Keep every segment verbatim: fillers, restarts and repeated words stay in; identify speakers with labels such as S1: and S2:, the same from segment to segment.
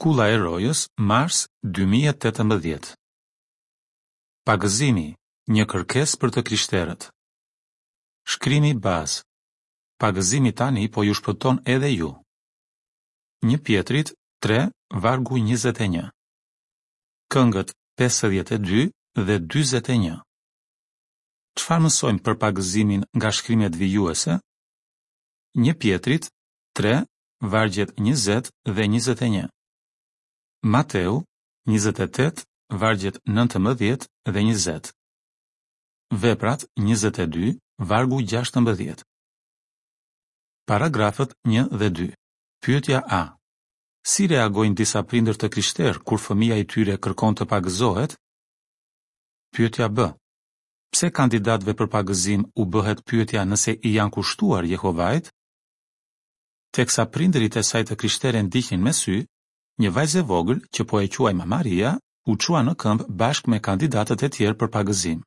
S1: Kulla e Rojës, mars dy mijë e tetëmbëdhjetë. Pagëzimi, një kërkesë për të krishterët. Shkrimi bazë. Pagëzimi tani po ju shpëton edhe ju. Një Pjetrit tre, vargu njëzet e një. Këngët pesëdhjetë e dy dhe dyzet e një. Çfarë mësojmë për pagëzimin nga shkrimet vijuese? Një Pjetrit tre, vargjet njëzet dhe njëzet e një. Mateu njëzet e tetë, vargjet nëntëmbëdhjetë dhe njëzet. Veprat njëzet e dy, vargu gjashtëmbëdhjetë. Paragrafët një dhe dy. Pyetja A. Si reagojnë disa prindër të krishterë kur fëmija i tyre kërkon të pagëzohet? Pyetja B. Pse kandidatëve për pagëzim u bëhet pyetja nëse i janë kushtuar Jehovait? Teksa prindërit e saj të krishterë e ndiqnin me sy, një vajzë e vogël, që po e quajmë Maria, u çua në këmbë bashkë me kandidatët e tjerë për pagëzim.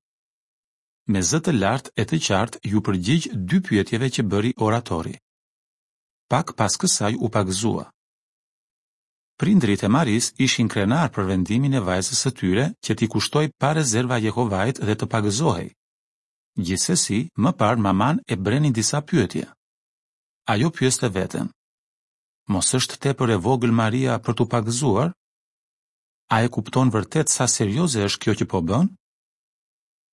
S1: Me zë të lartë e të qartë iu përgjigj dy pyetjeve që bëri oratori. Pak pas kësaj u pagëzua. Prindërit e Marisë ishin krenarë për vendimin e vajzës së tyre që t'i kushtojë pa rezerva Jehovait dhe të pagëzohej. Gjithsesi, më parë mamanë e brenin disa pyetje. Ajo pyeste veten: Mos është tepër e vogël Maria për t'u pagëzuar? A e kupton vërtet sa serioze është kjo që po bën?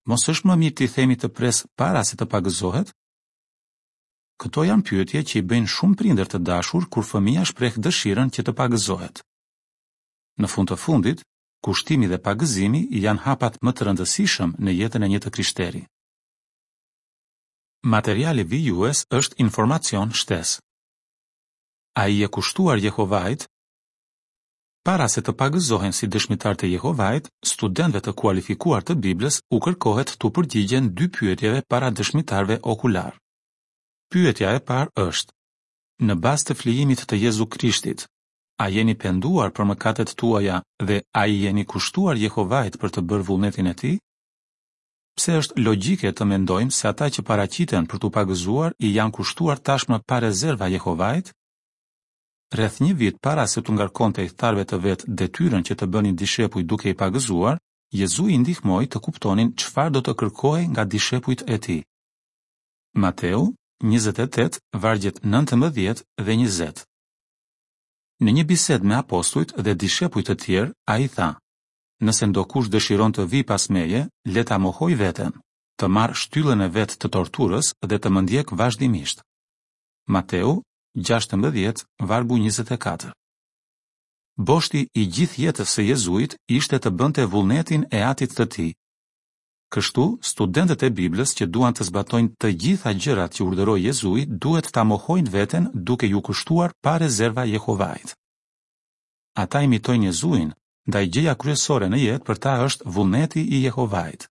S1: Mos është më mirë t'i themi të presë para se të pagëzohet? Këto janë pyetje që i bëjnë shumë prindër të dashur kur fëmija shpreh dëshirën që të pagëzohet. Në fund të fundit, kushtimi dhe pagëzimi janë hapat më të rëndësishëm në jetën e një të krishteri. Materiali vijues është informacion shtesë. A i je kushtuar Jehovait? Para se të pagëzohen si dëshmitarë të Jehovait, studentëve të kualifikuar të Biblës u kërkohet t'u përgjigjen dy pyetjeve para dëshmitarëve okular. Pyetja e parë është: Në bazë të flijimit të Jezu Krishtit, a jeni penduar për mëkatet tuaja dhe a i jeni kushtuar Jehovait për të bërë vullnetin e tij? Pse është logjike të mendojmë se ata që paraqiten për t'u pagëzuar i janë kushtuar tashmë pa rezerva Jehovait? Rreth një vit para se t'u ngarkonte ithtarëve të vet detyrën që të bënin dishepuj duke i pagëzuar, Jezui i ndihmoi të kuptonin çfarë do të kërkohej nga dishepujt e tij. Mateu njëzet e tetë, vargjet nëntëmbëdhjetë dhe njëzet. Në një bisedë me apostujt dhe dishepujt të tjerë, ai tha: Nëse ndokush dëshiron të vijë pas meje, le ta mohojë veten, të marrë shtyllën e vet të torturës dhe të më ndjekë vazhdimisht. Mateu gjashtëmbëdhjetë, vargu njëzet e katër. Boshti i gjithë jetës së Jezuit ishte të bënte vullnetin e Atit të tij. Kështu, studentët e Biblës që duan të zbatojnë të gjitha gjërat që urdhëroi Jezui, duhet ta mohojnë veten duke ju kushtuar pa rezerva Jehovait. Ata imitojnë Jezuin, ndaj gjëja kryesore në jetë për ta është vullneti i Jehovait.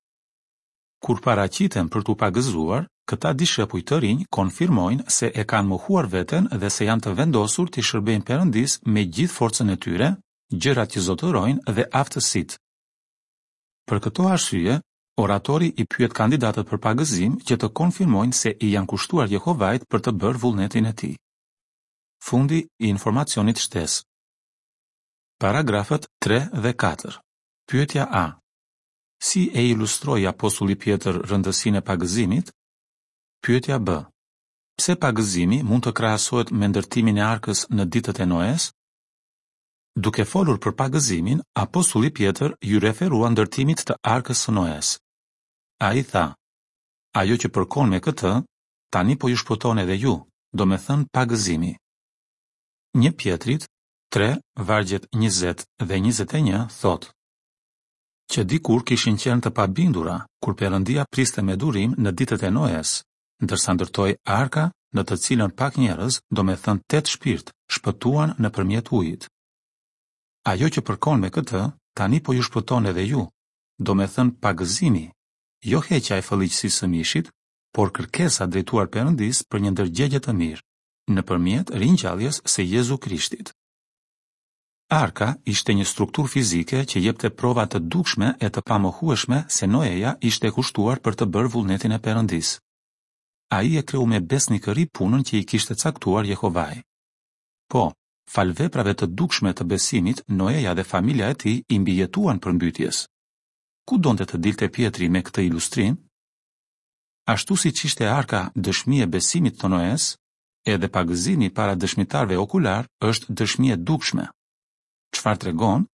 S1: Kur paraqiten për t'u pagëzuar, këta dishepuj të rinj konfirmojnë se e kanë mohuar veten dhe se janë të vendosur t'i shërbejnë Perëndisë me gjithë forcën e tyre, gjërat që zotërojnë dhe aftësitë. Për këto arsye, oratori i pyet kandidatët për pagëzim që të konfirmojnë se i janë kushtuar Jehovait për të bërë vullnetin e tij. Fundi i informacionit shtesë. Paragrafët tre dhe katër. Pyetja A. Si e ilustroi apostulli Pjetër rëndësinë e pagëzimit? Pyetja B. Pse pagëzimi mund të krahasohet me ndërtimin e arkës në ditët e Noes? Duke folur për pagëzimin, apostulli Pjetër ju referua ndërtimit të arkës së Noes. Ai tha: Ajo që përkon me këtë, tani po ju shpëton edhe ju, domethënë pagëzimi. Një Pjetrit tre, vargjet njëzet dhe njëzet e një thotë: Që dikur kishin qenë të pabindura, kur Perëndia priste me durim në ditët e Noes, ndërsa ndërtoi arka në të cilën pak njerëz, domethënë tetë shpirt, shpëtuan nëpërmjet ujit. Ajo që përkon me këtë, tani po ju shpëton edhe ju, domethënë pagëzimi, jo heqja e fëlliqësisë së mishit, por kërkesa drejtuar Perëndisë për një ndërgjegje të mirë, nëpërmjet ringjalljes së Jezu Krishtit. Arka ishte një strukturë fizike që jepte prova të dukshme e të pamohueshme se Noeja ishte kushtuar për të bërë vullnetin e Perëndisë. Ai e kreu me besnikëri punën që i kishte caktuar Jehovai. Po, Falë veprave të dukshme të besimit, Noeja dhe familja e tij i mbijetuan përmbytjes. Ku donte të dilte Pjetri me këtë ilustrim? Ashtu siç ishte arka dëshmi e besimit të Noes, edhe pagëzimi para dëshmitarëve okularë është dëshmi e dukshme. Çfarë tregon?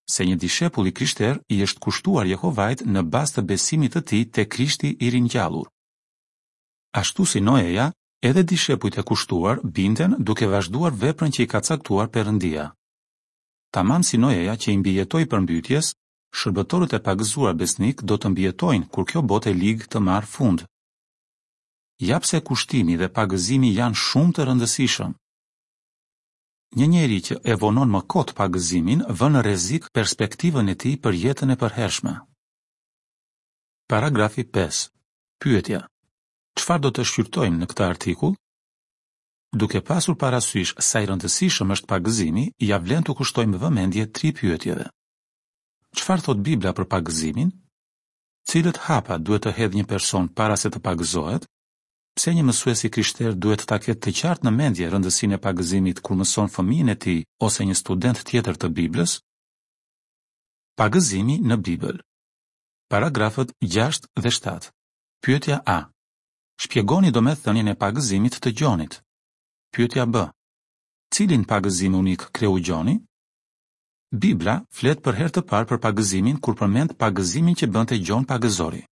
S1: Se një dishepull i krishterë i është kushtuar Jehovait në bazë të besimit të tij te Krishti i ringjallur. Ashtu si Noeja, edhe dishepujt e kushtuar binden duke vazhduar veprën që i ka caktuar Perëndia. Tamam si Noeja që i mbijetoi përmbytjes, shërbëtorët e pagëzuar besnikë do të mbijetojnë kur kjo botë e ligë të marrë fund. Ja pse kushtimi dhe pagëzimi janë shumë të rëndësishëm. Një njeri që e vonon më kot pagëzimin vë në rrezik perspektivën e tij për jetën e përhershme. Paragrafi pesë. Pyetja: Çfarë do të shqyrtojmë në këtë artikull? Duke pasur parasysh sa i rëndësishëm është pagëzimi, ia vlen t'u kushtojmë vëmendje tri pyetjeve. Çfarë thotë Bibla për pagëzimin? Cilët hapa duhet të hedhë një person para se të pagëzohet? Pse një mësues i krishterë duhet ta ketë të qartë në mendje rëndësinë e pagëzimit kur mëson fëmijën e tij ose një student tjetër të Biblës? Pagëzimi në Bibël. Paragrafët gjashtë dhe shtatë. Pyetja A. Shpjegoni domethënien e pagëzimit të Gjonit. Pyetja B. Cilin pagëzim unik kreu Gjoni? Bibla flet për herë të parë për pagëzimin kur përmend pagëzimin që bënte Gjon Pagëzori.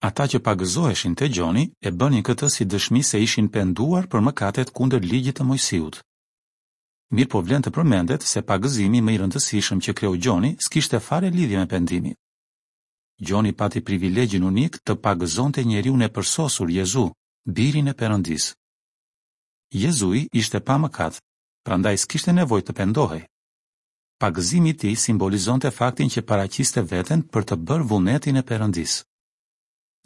S1: Ata që pagëzoheshin te Gjoni e bënin këtë si dëshmi se ishin penduar për mëkatet kundër ligjit të Mojsiut. Mirëpo vlen të përmendet se pagëzimi më i rëndësishëm që kreu Gjoni s'kishte fare lidhje me pendimin. Gjoni pati privilegjin unik të pagëzonte njeriun e përsosur Jezu, birin e Perëndisë. Jezui ishte pa mëkat, prandaj s'kishte nevojë të pendohej. Pagëzimi i tij simbolizonte faktin që paraqiste veten për të bërë vullnetin e Perëndisë.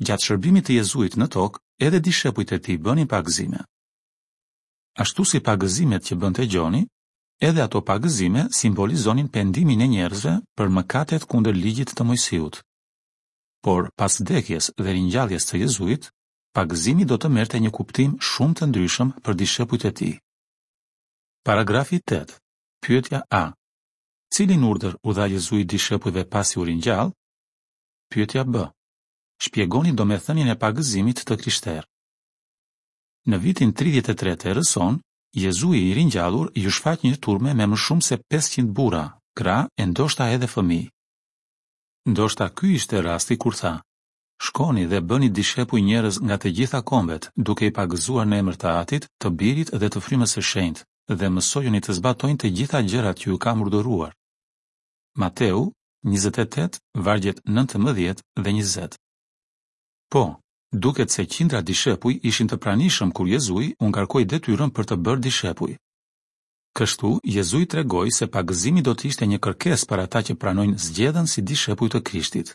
S1: Gjatë shërbimit të Jezuit në tokë, edhe dishepujt e tij bënin pagëzime. Ashtu si pagëzimet që bënte Gjoni, edhe ato pagëzime simbolizonin pendimin e njerëzve për mëkatet kundër ligjit të Mojsiut. Por pas vdekjes dhe ringjalljes të Jezuit, pagëzimi do të merrte një kuptim shumë të ndryshëm për dishepujt e tij. Paragrafi tetë. Pyetja A. Cilin urdhër u dha Jezui dishepujve pasi u ringjall? Pyetja B. Shpjegoni domethënien e pagëzimit të krishterë. Në vitin tridhjetë e tre të erës sonë, Jezui i ringjallur ju shfaq një turme me më shumë se pesëqind burra, gra e ndoshta edhe fëmijë. Ndoshta ky ishte rasti kur tha: Shkoni dhe bëni dishepuj njerëz nga të gjitha kombet, duke i pagëzuar në emër të Atit, të Birit dhe të Frymës së Shenjtë, dhe mësojuni të zbatojnë të gjitha gjërat që ju kam urdhëruar. Mateu njëzet e tetë, vargjet nëntëmbëdhjetë dhe njëzet. Po, duket se qindra dishepuj ishin të pranishëm kur Jezui u ngarkoi detyrën për të bërë dishepuj. Kështu, Jezui tregoi se pagëzimi do të ishte një kërkesë për ata që pranojnë zgjedhën si dishepuj të Krishtit.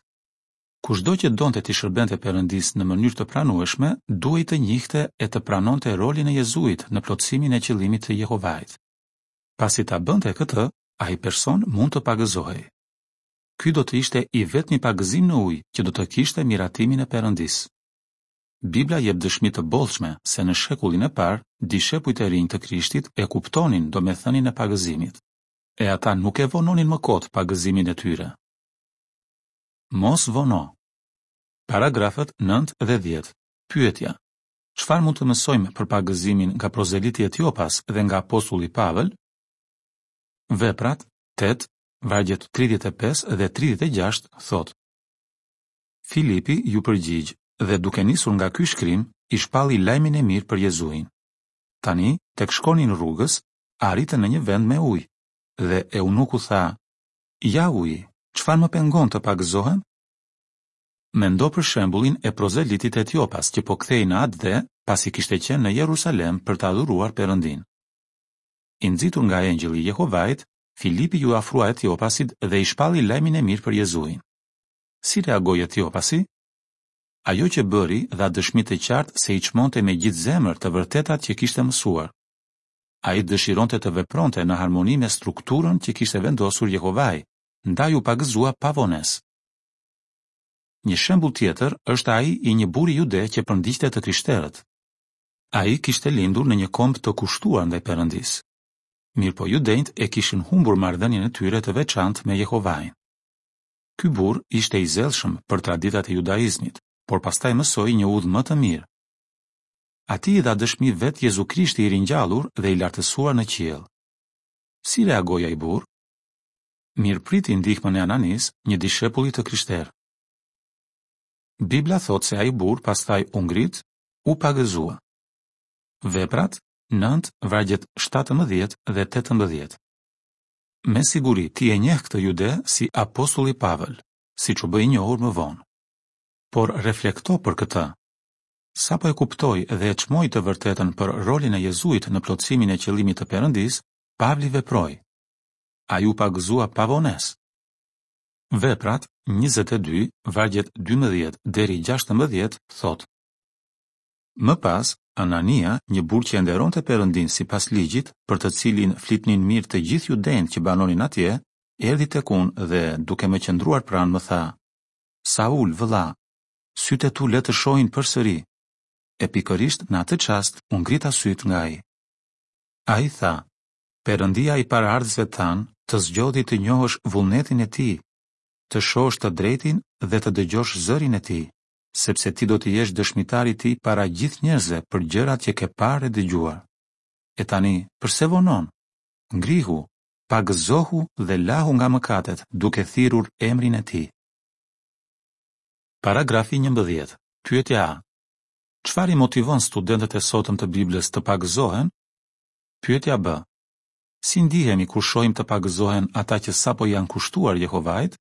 S1: Kushdo që donte t'i shërbente Perëndisë në mënyrë të pranueshme, duhej të njihte e të pranonte rolin e Jezuit në plotësimin e qëllimit të Jehovait. Pasi ta bënte këtë, ai person mund të pagëzohej. Ky do të ishte i vetmi pagëzim në ujë që do të kishte miratimin e Perëndisë. Bibla jep dëshmi të bollshme se në shekullin e parë, dishepujt e rinj të Krishtit e kuptonin domethënien e pagëzimit, e ata nuk e vononin më kot pagëzimin e tyre. Mos vono. Paragrafët nëntë dhe dhjetë. Pyetja: Çfarë mund të mësojmë për pagëzimin nga prozeliti Etiopas dhe nga apostulli Pavel? Veprat tetë, vargjet tridhjetë e pesë dhe tridhjetë e gjashtë thotë: Filipi ju përgjigj dhe duke nisur nga ky shkrim, i shpalli lajmin e mirë për Jezuin. Tani, tek shkonin rrugës, arritën në një vend me ujë, dhe eunuku tha: Ja uji, çfarë më pengon të pagëzohem? Mendo për shembullin e prozelitit Etiopas që po kthehej në atdhe pasi kishte qenë në Jerusalem për të adhuruar Perëndin. I nxitur nga engjëlli i Jehovait, Filipi ju afrua Etiopasit dhe i shpalli lajmin e mirë për Jezuin. Si reagoi Etiopasi? Ajo që bëri dha dëshmi të qartë se i çmonte me gjithë zemër të vërtetat që kishte mësuar. Ai dëshironte të vepronte në harmoni me strukturën që kishte vendosur Jehovai, ndaj u pagëzua pa vonesë. Një shembull tjetër është ai i një burri jude që përndiqte të krishterët. Ai kishte lindur në një komb të kushtuar ndaj Perëndisë. Mirëpo judenjtë e kishin humbur marrëdhënien e tyre të veçantë me Jehovain. Ky burrë ishte i zellshëm për traditat e judaizmit, por pastaj mësoi një udhë më të mirë. Atij i dha dëshmi vetë Jezu Krishti i ringjallur dhe i lartësuar në qiell. Si reagoi ai burrë? Mirëpriti ndihmën e Ananisë, një dishepulli të krishterë. Bibla thotë se ai burrë pastaj u ngrit, u pagëzua. Veprat nëntë, vargjet shtatëmbëdhjetë dhe tetëmbëdhjetë. Me siguri ti e njeh këtë jude si apostulli Pavël, siç u bë i njohur më vonë. Por reflekto për këtë. Sapo e kuptoi dhe e çmoi të vërtetën për rolin e Jezuit në plotësimin e qëllimit të Perëndisë, Pavli veproi. Ai u pagëzua pa vonesë. Veprat njëzet e dy, vargjet dymbëdhjetë deri gjashtëmbëdhjetë thotë: Më pas, Anania, një burrë që e nderonte Perëndinë sipas ligjit, për të cilin flitnin mirë të gjithë judenjtë që banonin atje, erdhi tek unë dhe, duke më qëndruar pranë, më tha: Saul, vëlla, sytë e tu le të shohin përsëri. E pikërisht në atë çast u ngrita sytë nga ai. Ai tha: Perëndia i paraardhësve tanë të zgjodhi të njohësh vullnetin e tij, të shohësh të drejtin dhe të dëgjosh zërin e tij, sepse ti do të jesh dëshmitar i tij para gjithë njerëzve për gjërat që ke parë e dëgjuar. E tani, përse vonon? Ngrihu, pagëzohu dhe lahu nga mëkatet, duke thirrur emrin e tij. Paragrafi njëmbëdhjetë. Pyetja A. Çfarë i motivon studentët e sotëm të Biblës të pagëzohen? Pyetja B. Si ndihemi kur shohim të pagëzohen ata që sapo i janë kushtuar Jehovait?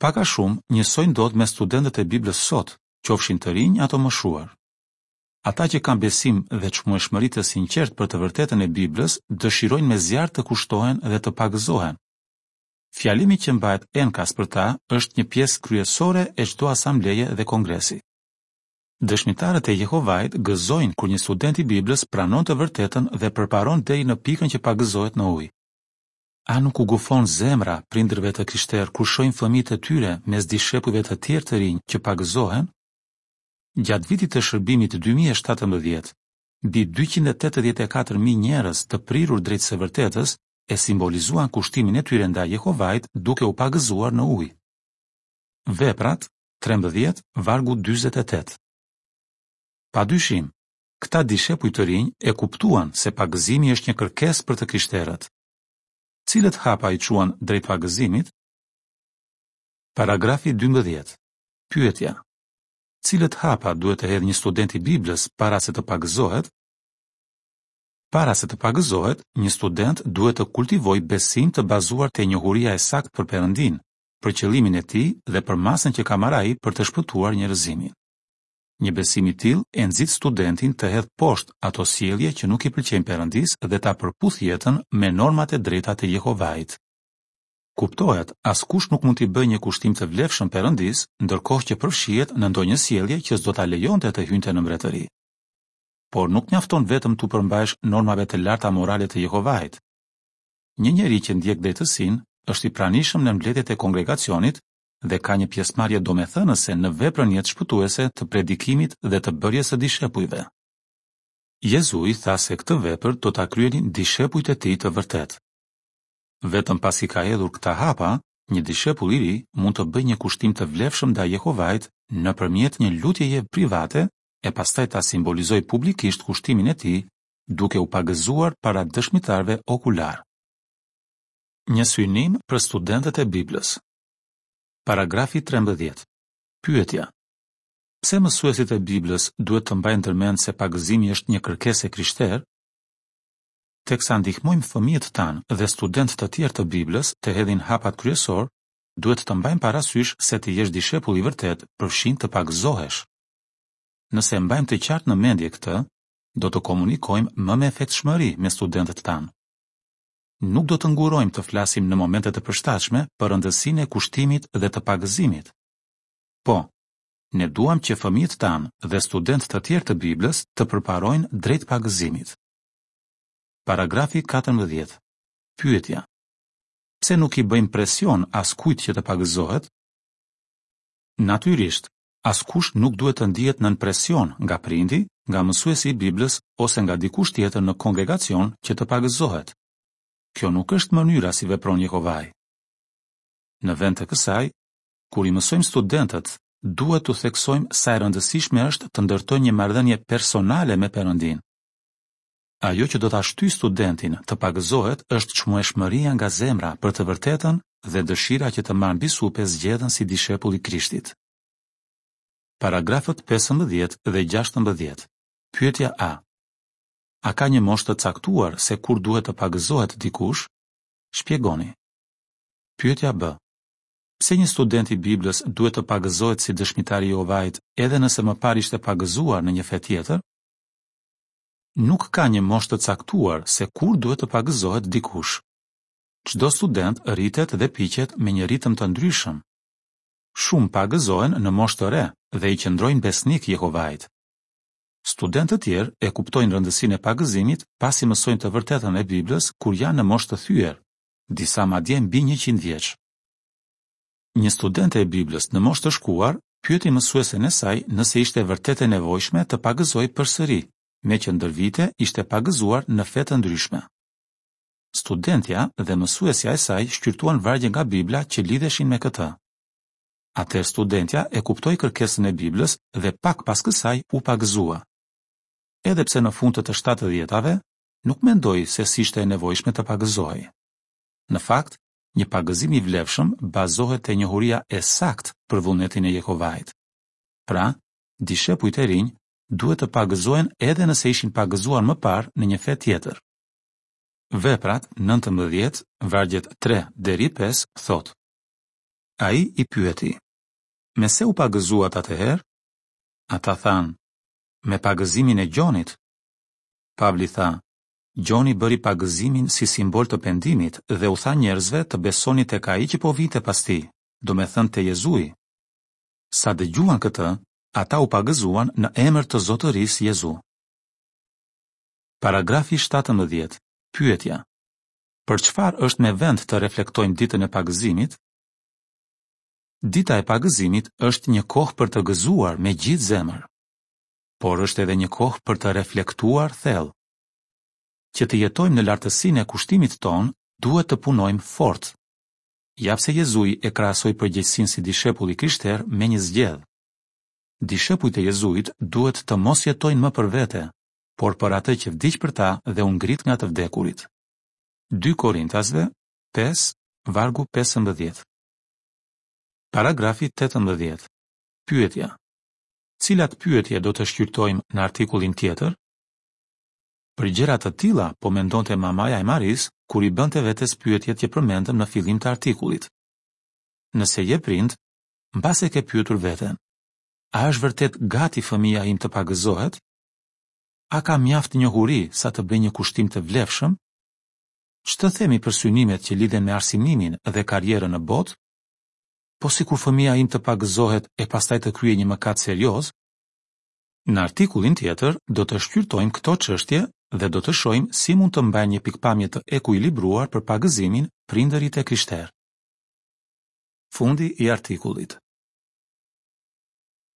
S1: Pak a shumë, njësoj ndodh me studentët e Biblës sot, qofshin të rinj ato moshuar. Ata që kanë besim dhe çmueshmëri të sinqertë për të vërtetën e Biblës, dëshirojnë me zjarr të kushtohen dhe të pagëzohen. Fjalimi që mbahet enkas për ta është një pjesë kryesore e çdo asambleje dhe kongresi. Dëshmitarët e Jehovait gëzojnë kur një student i Biblës pranon të vërtetën dhe përparon deri në pikën që pagëzohet në ujë. A nuk u gufon zemra prindërve të krishterë kur shohin fëmijët e tyre mes dishepujve të tjerë të rinj që pagëzohen? Gjatë vitit të shërbimit dy mijë e shtatëmbëdhjetë, mbi dyqind e tetëdhjetë e katër mijë njerëz të prirur drejt së vërtetës e simbolizuan kushtimin e tyre ndaj Jehovait duke u pagëzuar në ujë. Veprat trembëdhjetë, vargu dyzet e tetë. Pa dyshim, këta dishepuj të rinj e kuptuan se pagëzimi është një kërkesë për të krishterët. Cilët hapa i çuan drejt pagëzimit? Paragrafi dymbëdhjetë. Pyetja: Cilët hapa duhet të hedhë një student i Biblës para se të pagëzohet? Para se të pagëzohet, një student duhet të kultivojë besim të bazuar te njohuria e saktë për Perëndin, për qëllimin e tij dhe për masën që ka marrë ai për të shpëtuar njerëzimin. Një besim i tillë e nxit studentin të hedhë poshtë ato sjellje që nuk i pëlqejnë Perëndisë dhe ta përputhë jetën me normat e drejta të Jehovait. Kuptohet, askush nuk mund t'i bëjë një kushtim të vlefshëm Perëndisë, ndërkohë që përfshihet në ndonjë sjellje që s'do ta lejonte të hynte në mbretëri. Por nuk mjafton vetëm t'u përmbahesh normave të larta morale të Jehovait. Një njeri që ndjek drejtësinë është i pranishëm në mbledhjet e kongregacionit dhe ka një pjesëmarrje domethënëse në veprën jetëshpëtuese të predikimit dhe të bërjes së dishepujve. Jezui tha se këtë vepër do ta kryenin dishepujt e tij të vërtetë. Vetëm pasi ka hedhur këta hapa, një dishepull i ri mund të bëjë një kushtim të vlefshëm ndaj Jehovait nëpërmjet një lutjeje private e pastaj ta simbolizojë publikisht kushtimin e tij duke u pagëzuar para dëshmitarëve okular. Një synim për studentët e Biblës. Paragrafi trembëdhjetë. Pyetja: Pse mësuesit e Biblës duhet të mbajnë ndërmend se pagëzimi është një kërkesë e krishterë? Teksa ndihmojmë fëmijët tanë dhe studentë të tjerë të Biblës të hedhin hapat kryesor, duhet të mbajmë parasysh se të jesh dishepull i vërtet përfshin të pagëzohesh. Nëse e mbajmë të qartë në mendje këtë, do të komunikojmë më me efektshmëri me studentët tanë. Nuk do të ngurojmë të flasim në momente të përshtatshme për rëndësinë e kushtimit dhe të pagëzimit. Po, ne duam që fëmijët tanë dhe studentë të tjerë të Biblës të përparojnë drejt pagëzimit. Paragrafi katërmbëdhjetë. Pyetja: Pse nuk i bëjmë presion askujt që të pagëzohet? Natyrisht, askush nuk duhet të ndihet nën presion nga prindi, nga mësuesi i Biblës ose nga dikush tjetër në kongregacion që të pagëzohet. Kjo nuk është mënyra si vepron Jehovai. Në vend të kësaj, kur i mësojmë studentët, duhet t'u theksojmë sa e rëndësishme është të ndërtojnë një marrëdhënie personale me Perëndinë. Ajo që do ta shtyjë studentin të pagëzohet është çmueshmëria nga zemra për të vërtetën dhe dëshira që të marrë mbi supe zgjedhën si dishepull i Krishtit. Paragrafët pesëmbëdhjetë dhe gjashtëmbëdhjetë. Pyetja A. A ka një moshë të caktuar se kur duhet të pagëzohet dikush? Shpjegoni. Pyetja B. Pse një student i Biblës duhet të pagëzohet si dëshmitar i Jehovait edhe nëse më parë ishte pagëzuar në një fe tjetër? Nuk ka një moshë të caktuar se kur duhet të pagëzohet dikush. Çdo student rritet dhe piqet me një ritëm të ndryshëm. Shumë pagëzohen në moshë të re dhe i qëndrojnë besnik Jehovait. Studentë të tjerë e kuptojnë rëndësinë e pagëzimit pasi mësojnë të vërtetën e Biblës kur janë në moshë të thyer, disa madje mbi njëqind vjeç. Një studente e Biblës në moshë të shkuar pyeti mësuesen e saj nëse ishte vërtet e nevojshme të pagëzohej përsëri, meqë ndër vite ishte pagëzuar në fe të ndryshme. Studentja dhe mësuesja e saj shqyrtuan vargje nga Bibla që lidheshin me këtë. Atëherë studentja e kuptoi kërkesën e Biblës dhe pak pas kësaj u pagëzua. Edhe pse në fund të të shtatëdhjetave, nuk mendoi se s'ishte e nevojshme të pagëzohej. Në fakt, një pagëzim i vlefshëm bazohet te njohuria e saktë për vullnetin e Jehovait. Pra, dishepujt e rinj duhet të pagëzohen edhe nëse ishin pagëzuar më parë në një fe tjetër. Veprat nëntëmbëdhjetë, vargjet tre deri pesë thotë: Ai i pyeti: Me se u pagëzuat atëherë? Ata thanë: Me pagëzimin e Gjonit. Pavli tha: Gjoni bëri pagëzimin si simbol të pendimit dhe u tha njerëzve të besonin tek ai që po vinte pas tij, domethënë te Jezui. Sa dëgjuan këtë, ata u pagëzuan në emër të Zotërisë Jezu. Paragrafi shtatëmbëdhjetë. Pyetja: Për çfarë është me vend të reflektojmë ditën e pagëzimit? Dita e pagëzimit është një kohë për të gëzuar me gjithë zemër, por është edhe një kohë për të reflektuar thellë. Që të jetojmë në lartësinë e kushtimit tonë, duhet të punojmë fort. Ja pse Jezui e krahasoi përgjegjësinë si dishepull i krishterë me një zgjedhë. Dishepujt e Jezuit duhet të mos jetojnë më për vete, por për atë që vdiq për ta dhe u ngrit nga të vdekurit. Dy Korintasve pesë, vargu pesëmbëdhjetë. Paragrafi tetëmbëdhjetë. Pyetja: Cilat pyetje do të shqyrtojmë në artikullin tjetër? Për gjëra të tilla po mendonte mamaja e Marisë kur i bënte vetes pyetjet që përmendëm në fillim të artikullit. Nëse je prind, mbase ke pyetur veten: A është vërtet gati fëmija im të pagëzohet? A ka mjaft njohuri sa të bëjë një kushtim të vlefshëm? Ç'të themi për synimet që lidhen me arsimimin dhe karrierën në botë? Po sikur fëmija im të pagëzohet e pastaj të kryejë një mëkat serioz? Në artikullin tjetër do të shqyrtojmë këto çështje dhe do të shohim si mund të mbajnë një pikëpamje të ekuilibruar për pagëzimin prindërit e krishterë. Fundi i artikullit.